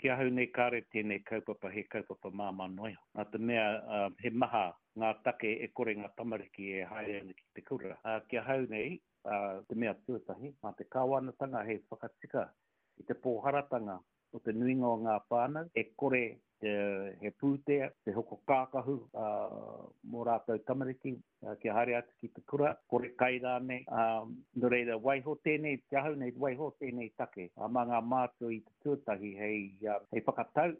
Ki ahau nei kāre tēnei kaupapa he kaupapa māmā noa iho. Nā te mea he maha ngā take e kore ngā tamariki e haere ana ki te kura. Ki ahau nei, te mea tuatahi, mā te kāwanatanga hei whakatika i te pōharatanga o te nuinga o ngā whānau e kore he pūtea, te hoko kākahu mō rātou tamariki kia haere atu ki te kura, kore kai rānei. Nō reira, waiho tēnei, ki ahau nei, waiho tēnei take mā ngā mātua i te tuatahi hei, hei whakatau.